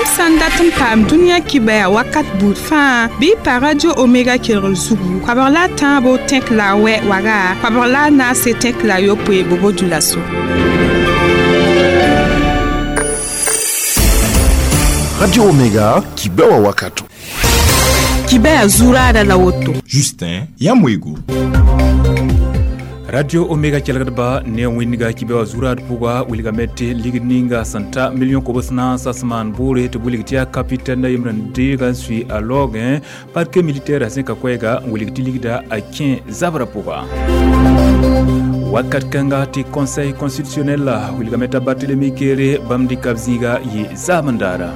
Yãmb sã n dat n paam dũniyã kibaya wakat buud fãa bɩ y pa Radio Omega kelgr zugu koabg la a tãabo tẽk la a wɛ waga koabg la a naase tẽk la a yopoe bobo dulaso. Radio Omega kibewa wakato. Kibaya zuraada la woto. Justin Yamwego. Radio Omega kelgdba ne wẽnga kibe wa zurad pʋga wilgame tɩ ligd ninga sẽn ta million kobs naas a sẽn maan bʋʋre tɩ wilg tɩ yaa capitaine yembr n deega n sui a laoogẽ parquet militaire a zẽka koɛɛga n wilg tɩ ligda a kẽ zabrã pʋga. Wakat kãnga tɩ conseil constitutionnel wilgame t'a Barthélemy Kéré bãmb dɩka b zĩiga yɩ zaamendaara.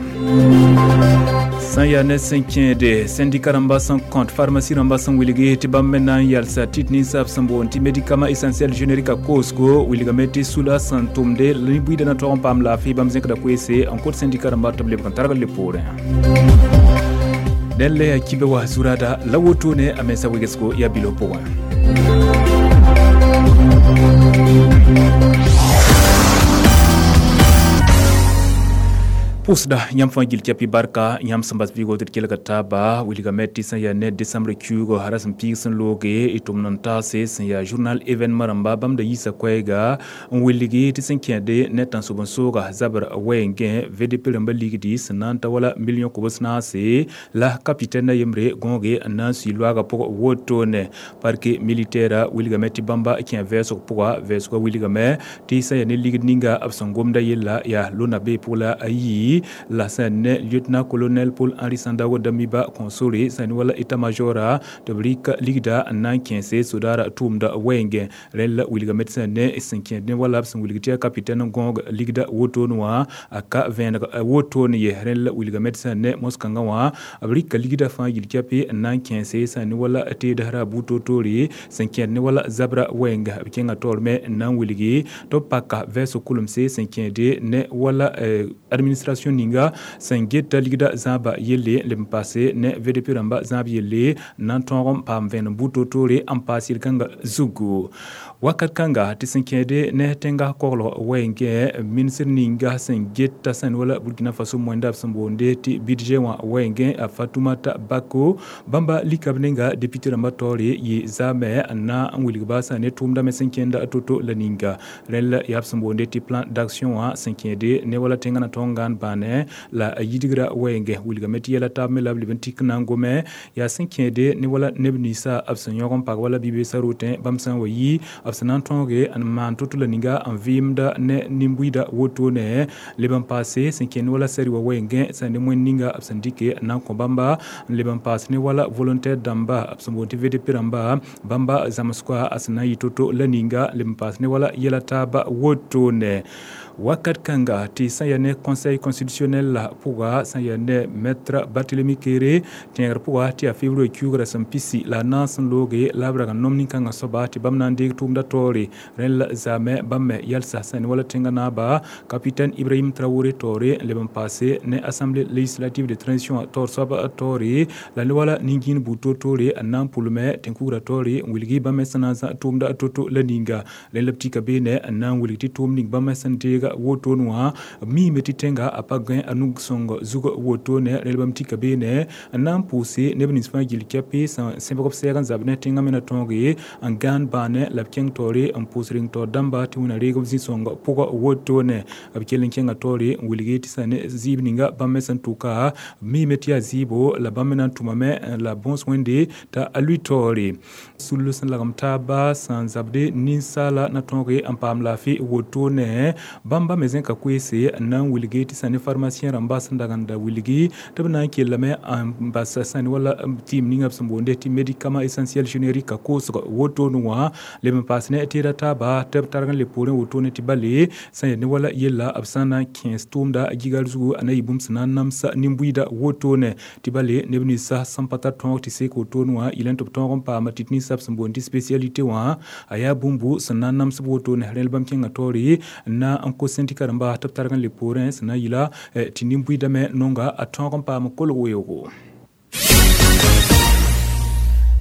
Sã n yaa ne sẽn kẽede syndicat rãmba sẽn kõt pharmacie rãmba sẽn wilgi tɩ bãmb me na n yalsa tit ninsaab sẽn boond tɩ médicament essentiel générique a koosgo wilgame tɩ sula sẽn tʋmde nin-buiidã na tog n paam laafɩ bãmb zẽkda koeese n kot syndicat rãmba tɩ b lebg n targ le poorẽ. Dẽn la yaa kibe wa zurada la wotone a mensa wegesgo yaa bilo pʋgẽ. Pʋʋsda yãmb fãa gil kɛpɩ barka yãmb sẽn bas vɩɩgo tɩ d kelga taaba wilgame tɩ sẽn yaa ne décembre kiuugo ra sẽn piig sẽn looge y tʋmd n taase sẽn yaa journal événement rãmba bãmb da yiisa koɛɛga n wilgi tɩ sẽn kẽede ne tãnsoab n sooga zabr wɛɛngẽ VDP rãmba ligdi sẽn na n ta wala million kobs naase la capitaine yembre gõoge n na n sui loaagã pʋg wotone parquet militaire wilgame tɩ bãmba kẽ vɛɛsg pʋga vɛɛsgã wilgame tɩ sẽn yaa ne ligd ninga b sẽn gomda yella yaa lona bee pʋg la a yi la sẽn ne lieutenant-colonel Paul Henri Sandaogo Damiba kõ sore sẽn wala état-major tɩ b rɩk ligda n na n kẽese sodaara tʋʋmda wɛɛngẽ rẽnd la wilgame tɩ sẽn ne sẽn kẽed ne wala b sẽn wilg tɩ yaa capitaine n gõog ligda wotone wã a ka vẽeneg wotone ye rẽnd la wilgame tɩ sẽn ne mos-kãngã wã b rɩka ligda fãa yil kɛpɩ n na n kẽese sẽn ne wala teedasrã bu-toor-toore sẽn kẽed ne wala zabra wɛɛnga b kẽnga taoor me n na n wilgi tɩ b paka vɛɛsg kulemse sẽn kẽede ne wala administration ninga sẽn geta ligda zãaba yelle leb n paase ne VDP rãmba zãab yelle n na n tõog n paam vẽenem bu-toor-toore n paas yel-kãngã zugu. Wakat kãnga tɩ sẽn kẽede ne tẽnga koglg wɛɛngẽ ministr ninga sẽn geta sẽn wala Burkina Faso moẽnda b sẽn boonde tɩ budget wã wɛɛngẽ a Fatoumata Bako bãmba lika b nenga député rãmba taoore yɩ zaame n na n wilgba sã ne tʋʋmda me sẽn kẽnda to-to la ninga rẽnd la yaa b sẽn boonde tɩ plan d'action wã sẽn kẽede ne wala tẽngã na tõog n gãan bãane la a yidgra wɛɛngẽ wilgame tɩ yɛla taab me la b leb n tik na n gome yaa sẽn kẽede ne wala neb ninsã b sẽn yõg n pag wala bi-beesã rotẽ bãmb sã n wa yi b sẽn na n tõoge n maan to-to la ninga n vɩɩmda ne nin-buiidã wotone leb n paase sẽn kẽnd wala sɛri wa wɛɛngẽ sã ne moẽnd ninga b sẽn dɩke n na n kõ bãmba n leb n paas ne wala volontaire dãmba b sẽn boond tɩ VDP rãmba bãmba zãmsgã a sẽn na n yɩ to-to la ninga leb n paas ne wala yɛla taaba wotone. Wakat kãnga tɩ sã yaa ne conseil constitutionnel la pʋga sã yaa ne maître Barthélemy Kéré tẽegr pʋga tɩ yaa février kiuugrã sẽn pisi la a naas n looge la b rag n nom nin-kãngã soaba tɩ bãmb na n deeg tʋʋmda taoore rẽnd la zaame bãmb me yalsa sã ne wala tẽngã naaba capitaine Ibrahim Traoré taoore n leb n paase ne assemblée législative de transition taoor soab taoore la ne wala nin-gĩin buud toor-toore n na n pʋlme tẽn-kugrã taoore n wilgi bãmb me sẽn na n zã tʋʋmda to-to la ninga rẽnd la b tika beene n na n wilg tɩ tʋʋm ning bãmb me sẽn deega wotone wã miime tɩ tẽnga a pa gãe a nug-sõng zug wotone rẽnd bãmb tika beene n na n pʋʋse neb nins fãa gill kɛpɩ sẽn sẽbg b sɛɛg n zab ne tẽngã me na tõoge n gãan bãane la b kẽng taoore n pʋʋs reng taoor dãmba tɩ wẽna reeg b zĩ-sõng pʋgã wotone b kell n kẽnga taoore n wilgi tɩ sã ne zɩɩb ninga bãmb me sẽn tʋka miime tɩ yaa zɩɩbo la bãmb me na n tʋmame la bõos wẽnde t'a a lʋɩ taoore sul sẽn lagem taaba sẽn zabde ninsaala na tõoge n paam laafɩ wotone bãmba me zẽka koeese n na n wilgi tɩ sã ne pharmacien rãmba sẽn dag n da wilgi tɩ b na n kellame n bas sã ne wala tɩɩm ninga b sẽn boonde tɩ médicament essentiel générique a koosg wotone wã leb n paas ne tɩɩda taaba tɩ b targ n le poorẽ wotone tɩ bale sã yaa ne wala yella b sã n na n kẽes tʋʋmda a gigal zugu a na yɩ bũmb sẽn na n namsa nin-buiidã wotone tɩ bale neb ninsã sẽn pa tar tõog tɩ sek wotone wã yɩl n tɩ b tõog n paama tɩ ninsã b sẽn boond tɩ spécialité wã a yaa bũmbu sẽn na n nams b wotone rẽnd bãmb kẽngã taoore n na n kos syndicat rãmba tɩ b targ n le poorẽ sẽn na n yɩla tɩ nin-buiidã me nonga a tõog n paam kolg weoogo.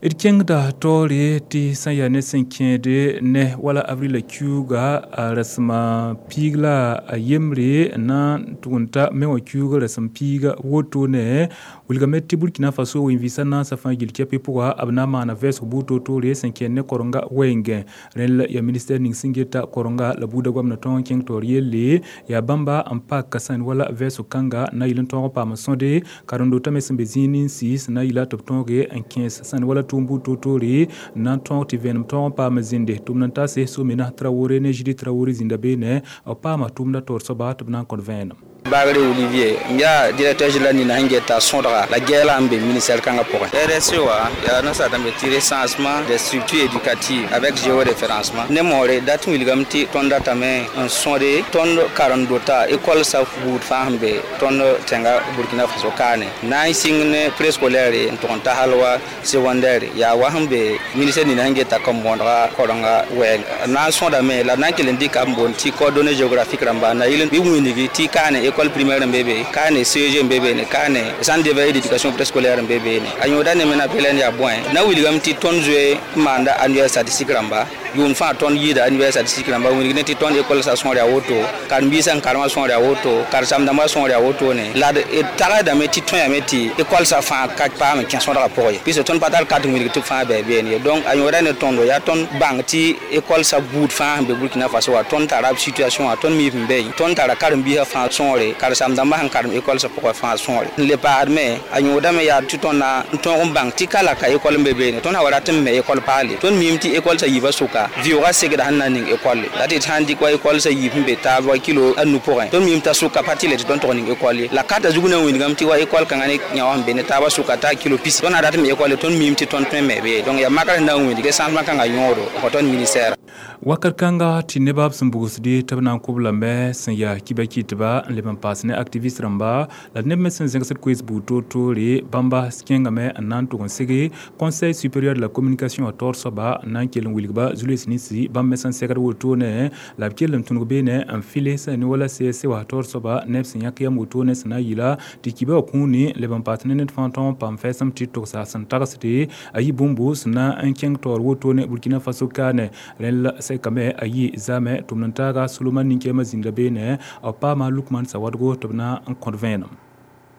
D kẽngda taoore tɩ sã n yaa ne sẽn kẽede ne wala avrila kiuuga a rasema piig la a yembre na n tʋg n ta me wã kiuugã rasem piiga wotone wilgame tɩ Burkina Faso wẽn-vɩɩsã naasã fãa gill kɛpɩ pʋga b na n maana vɛɛsg buud toor-toore sẽn kẽnd ne korenga wɛɛngẽ. Rẽnd la yaa ministɛr ning sẽn geta korenga la buudã goamna tõog n kẽng taoor yelle yaa bãmba n pak sẽn wala vɛɛsg kãnga na yɩl n tõog n paam sõde karen-dotã me sẽn be zĩig ninsi sẽn na n yɩla tɩ b tõoge n kẽes sẽn wala tʋʋm buud toor-toore na n tõog tɩ vẽenem tõog n paam zĩnde. Tʋmd n tase Somena Traoré ne Judith Traoré zĩnda beene b paama tʋʋmdã taoor soaba tɩ b na n kõt vẽenem. Bagre Olivier, yaa directeur général nina sẽn geta sõdga la gɛɛla n be ministère kãngã pʋgẽ. RSE wã yaa nasaar dãmb tɩ recensement des structures éducatives avec géoréférencement. Ne moore dat n wilgame tɩ tõnd datame n sõde tõnd karen-dota école sa buud fãa sẽn be tõnd tẽnga Burkina Faso kaane. Na n sɩng ne préscolaire n tʋg n ta hal wa secondaire yaa wa sẽn be ministère nina sẽn geta kom-bõonega korenga wɛɛng. Na n sõdame la na n kell n dɩka n boond tɩ coordonnées géographiques rãmba na yɩl bɩ wĩnigi tɩ kaane école primaire n be be, kaane CEG n be be ne, kaane centre d'éveil d'éducation préscolaire n be be ne. A yõoda ne me na pelɛn yaa bõe na wilgame tɩ tõnd zoe n maanda annuaire statistique rãmba yʋʋm fãa tõnd yɩɩda annuaire statistique rãmba wilg ne tɩ tõnd école sa sõor yaa woto, karen-biisã n karemã sõor yaa woto, karen-sãmb-dãmbã sõor yaa woto ne. La d tagsdame tɩ tõyame tɩ école sa fãa ka paam n kẽ sõdgã pʋgẽ ye, puisque tõnd pa tar carte wilg tɩ b fãa bɩ beene ye. Donc a yõoda ne tõndo yaa tõnd bãng tɩ école sa buud fãa sẽn be Burkina Faso wã tõnd tara b situation wã, tõnd mi b be, tõnd tara karen-biisã fãa sõore, karen-sãmb-dãmbã sẽn karem école sa pʋgẽ fãa sõore. N le paasdme a yõodame yaa tɩ tõnd na n tõog n bãng tɩ ka la ka école n be beene, tõnd sã wa rat n me école paale, tõnd miime tɩ école sa yiibã sʋka vɩʋʋgã segda sẽn na n ning école la tɩ sã n dɩk wa école sa yiib sẽn be taab wa kilo a nu pʋgẽ, tõnd miime t'a sʋka pa tɩ le tɩ tõnd tʋg ning école ye. La karta zug na n wilgame tɩ wa école kãngã ne yã wã sẽn be ne taabã sʋka t'a kilo pis, tõnd na rat n me école tõnd miime tɩ tõnd tõe n me be. Donc yaa makr sẽn na n wilg recensement kãngã yõodo n kõ tõnd ministère. Wakat kãnga tɩ nebã b sẽn bugsde tɩ b na n kʋb lame sẽn yaa kiba kɩtba n leb n paas ne activiste rãmba la neb me sẽn zẽgsd koees buud toor-toore bãmba kẽngame n na n tʋg n sege Conseil supérieur de la communication a taoor soaba n na n kell n wilgba zu-loees ninsi bãmb me sẽn segd wotone la b kell n tũnug beene n file sẽn ne wala CSC wa taoor soaba neb sẽn yãk yam wotone sẽn na n yɩla tɩ kiba wã kũuni leb n paas ne ned fãa tõog n paam fɛɛsem tɩ togsa sẽn tagsde a yɩ bũmbu sẽn na n kẽng taoor wotone Burkina Faso kaane. Rẽnd la sɛkame a yɩ zaame tʋmd n taaga Solomon nin-kɛɛmã zĩnda beene b paama Lukman Sawadogo tɩ b na n kõt vẽenem.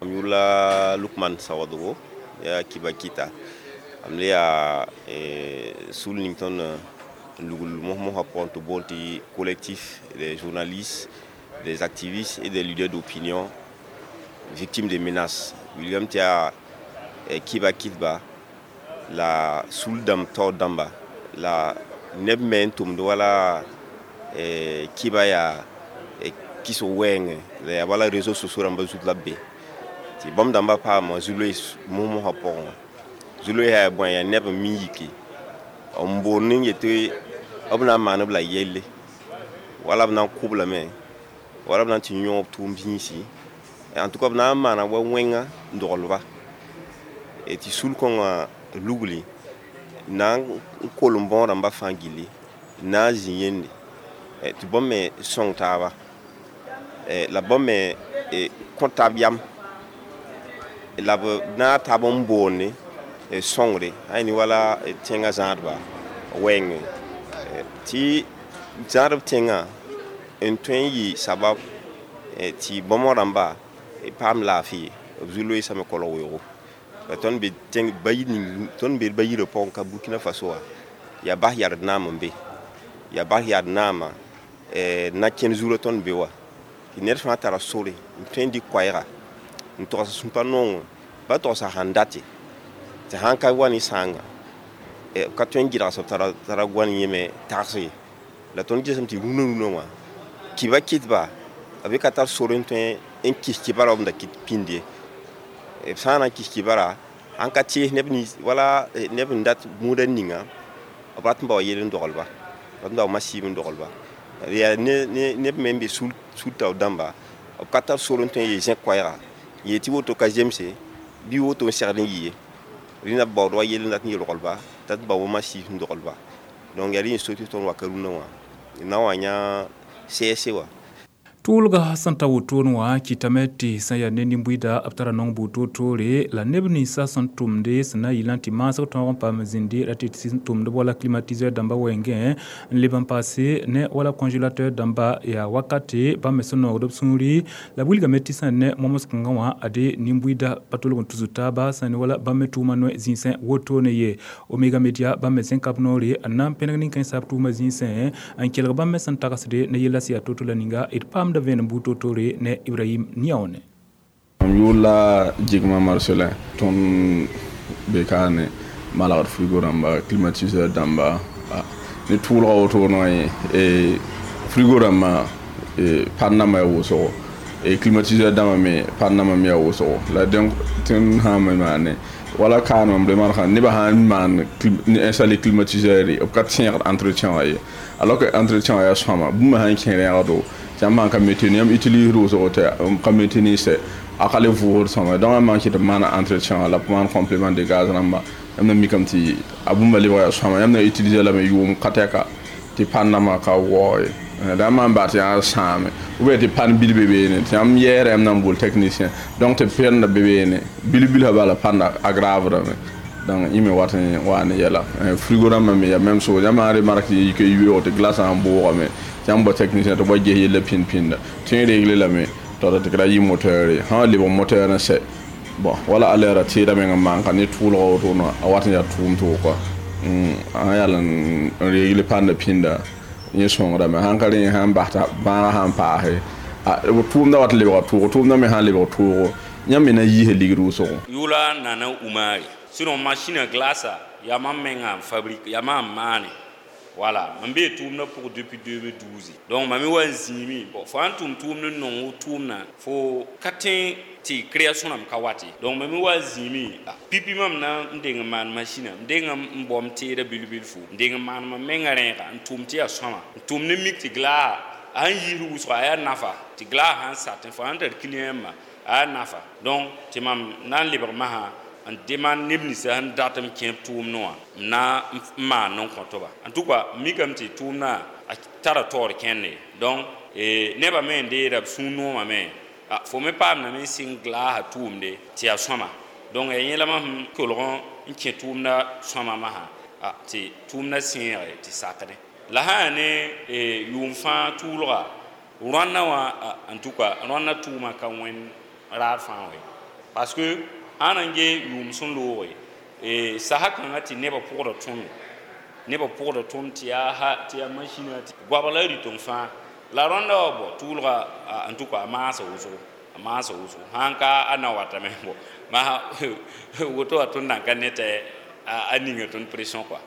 M yʋʋr Lukman Sawadogo yaa kiba kɩta m le yaa sul ning tõnd lugl mos-mosã pʋgẽ tɩ boond tɩ collectif des journalistes, des activistes et des leaders d'opinion victimes de menaces. Wilgame tɩ yaa kiba kɩtba la sul dãmb taoor dãmba la neb me n tʋmd wala kiba yaa kɩsg wɛɛngẽ la yaa wala réseaux sociaux rãmbã zut la b be tɩ bãmb dãmbã paama zu-loees mos-mosã pʋgẽ wã. Zu-loeesã yaa bõe yaa neb n mi n yike n boond n yetɩ b na n maan b la yelle wala b na n kʋ-b lame wala b na n tɩ yõog b tʋʋm zĩisi, en tout cas b na n maana wa wẽnga n dogl-ba tɩ sul-kõngã lugli na n kolem bõog rãmbã fãa gilli na n zĩ yende tɩ bãmb me sõng taaba la bãmb me kõ taab yam la b na taab n boonde sõngre sã ne wala tẽngã zãadba wɛɛngẽ tɩ zãadb tẽngã n tõe n yɩ sabab tɩ bãmb rãmba paam laafɩ b zu-loeesã me kolg weoogo. La tõnd be tẽng bayi ning tõnd be bayirã pʋgẽ ka Burkina Faso wã yaa bas yard naam n be yaa bas yard naamã na kẽnd zurã tõnd be wa tɩ ned fãa tara sore n tõe n dɩk koɛɛga n togs sũmpa nongo ba togsa sãn date tɩ sãn ka wa ne sãanga b ka tõe n gɩdgs b tara goan yẽme tags ye. La tõnd gesem tɩ rũnã rũnã wã kiba kɩtba b ka tar sore n tõe n kis kibara b da kɩt pĩnd ye. B sã n na n kis kibara sãn ka tees neb nins wala neb n dat gũudã ninga b rat n bao yell n doglba rat n bao masiib n doglba. Yaa neb me n be sul taoor dãmba b ka tar sore n tõe n yee zẽk koɛɛga n yeel tɩ woto ka zemse bɩ woto n segd n yɩ ye. Rẽnda b baood wa yell n dat n yelglba t'a bao wa masiib n doglba. Donc yaa rẽ n so tɩ tõnd waka rũnã wã na n wa yã CSC wã. Tʋʋlga sẽn ta wotone wã kɩtame tɩ sẽn yaa ne nin-buida b tara nong bu-toor-toore la neb ninsã sẽn tʋmde sẽn na n yɩlã tɩ maasg tõog n paam zĩndi ra tɩ sẽn tʋmd wala climatiseur dãmba wɛɛngẽ n leb n paase ne wala congélateur dãmba yaa wakate bãmb me sẽn noogd b sũuri la b wilgame tɩ sẽn ne moms-kãngã wã ade nin-buida pa tolg n tusd taaba sẽn ne wala bãmb me tʋʋma noe zĩisẽ wotone ye. Omega Media bãmb me zẽn kab noore n na n pẽneg nin-kãensã b tʋʋma zĩisẽ n kelg bãmb me sẽn tagsde ne yella sẽn yaa to-to la ninga d paamda vẽenem bu-toor-toore ne Ibrahim Niaone. Mam yʋʋr la Jigma Marcelin. Tõnd be kaane malgd frigo rãmba, climatiseur dãmba ne tʋʋlga wotone wã ye frigo rãmbã pannama yaa wʋsgo, climatiseur dãmbã me pannama me yaa wʋsgo. La donc tõnd sã n me maane wala kaan mam remarque nebã sã n maan installer climatiseur b ka tẽegd entretien wã ye, alors que entretien wã yaa sõama bũmb sã n kẽ rẽegdo tɩ yãmb sãn ka maintenir yãmb utilise wʋsgo tɩ ka maintenir sɛ a ka le vʋʋsd sõama. Donc yãmb maan kɩt b maana entretien wã la b maan complément de gaz rãmba, yãmb na mikame tɩ a bũmba lebga yaa sõama, yãmb na utiliser lame yʋʋm ka tɛka tɩ pannama ka waoo ye. Da maan baa tɩ yaa sãame ou bien tɩ pan bil be beene tɩ yãmb yɛɛra yãmb na n bool technicien, donc tɩ pẽnda be beene bil-bilsã bala pãnda aggravdame. Donc yẽ me wat n waa ne yɛla. Frigo rãmbã me yaa même chose, yãmb sã n remarque tɩ yik yoeego tɩ glace sã n boogame tɩ yãmb bao technicien tɩ b wa ges yella pĩnd-pĩnda tõe n regle lame tɩ tɩ ra yɩ moteur ye, sã n lebg moteur n sɛ bon wala alɛɛra tɩɩda meng n maan ka ne tʋʋlga wotone a wat n yaa tʋʋm tʋg kɔa sã yal n regle pãnda pĩnda yẽ sõngdame. Sãn ka rẽ sãn bas t'a bãagã sãn paase tʋʋmda wat lebga tʋʋgo, tʋʋmda me sãn lebg tʋʋgo yãmb me na n yiisa ligd wʋsgo. Yʋʋla Nana Umari. Sinon machine à glace yaa mam menga n fabrique yaa mam n maane. Voilà, mam bee tʋʋmdã pʋgẽ depuis 2012. Donc mam me wa n zĩime bon fo sãn tʋm tʋʋmd n nong tʋʋmdã fo ka tẽ tɩ création rãmb ka wat ye. Donc mam me wa n zĩime pipi mam na n deng n maan machine n deng n baom teedã bil-bilfu n deng n maan mam menga rẽega n tʋm tɩ yaa sõama n tʋm ne mik tɩ glaasa a sẽn yiisd wʋsga a yaa nafa tɩ glaasa sãn satẽ fo sãn tar client ma a yaa nafa. Donc tɩ mam na n lebg masã n demande neb ninsã sẽn dat m kẽ b tʋʋmdẽ wã m na n maan n kõ-toba. En tout cas mikame tɩ tʋʋmdã a tara taoor kẽnde. Donc nebã me n deeda b sũur noomã me fo me paamdame n sɩng glaasã tʋʋmde tɩ yaa sõama. Donc yaa yẽ la mam sẽn kolg n kẽ tʋʋmdã sõama masã tɩ tʋʋmdã sẽege tɩ sakdẽ. La sã yaa ne yʋʋm fãa tʋʋlga rõannã wã en tout cas rõannã tʋʋma ka wẽnd raar fãa wɛ, parce que sãn n ge yʋʋm sẽn looge sasa kãngã tɩ nebã pʋgda tõnd nebã pʋgda tõnd tɩ yaa machine tɩ goabg la rɩteng fãa la rõndã wa bɔ tʋʋlga en tout cas a maasa wʋsgo a maasa wʋsgo sãn ka a na watame bɔ maa woto wa tõnd nan ka ne tɩ a ninga tõnd pression quoi.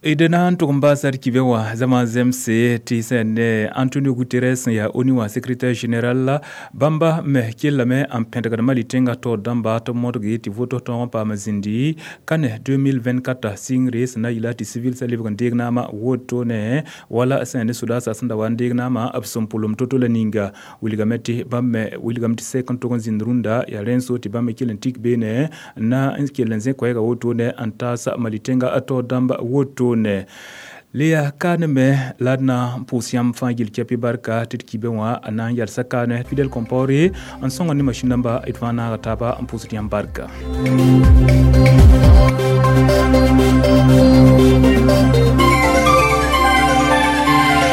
D na n tʋg n baasa d kibẽ wã zãma zemse tɩ sẽn ne Antonio Guterres sẽn yaa ONU wã secrétaire général la bãmba me kellame n pẽdgd Mali tẽngã taoor dãmba tɩ b modge tɩ voto tõog n paam zĩndi kane 2024 sɩngre sẽn na n yɩla tɩ civil sã lebg n deeg naamã wotone wala sẽn ne sodaasã sẽn da wa n deeg naamã b sẽn pʋlem to-to la ninga wilgame tɩ bãmb me wilgame tɩ sɛk n tʋg n zĩnd rũndã yaa rẽn-so tɩ bãmb me kell n tik beene n na n kell n zẽ koɛɛga wotone n taas Mali tẽngã taoor dãmba wotone. Le yaa kaane me la d na n pʋʋs yãmb fãa gill kɛpɩ barka tɩ d kibẽ wã a na n yalsa kaane Fidèle Compaoré n sõnga ne masĩn dãmba d fãa naaga taaba n pʋʋsd yãmb barka.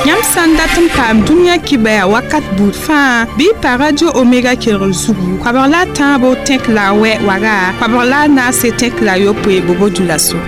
Yãmb sã n dat n paam dũniyã kibaya wakat buud fãa bɩ y pa Radio Omega kelgr zugu koabg la a tãabo tẽk la a wɛ waga koabg la a naase tẽk la a yopoe bobo dũlaso.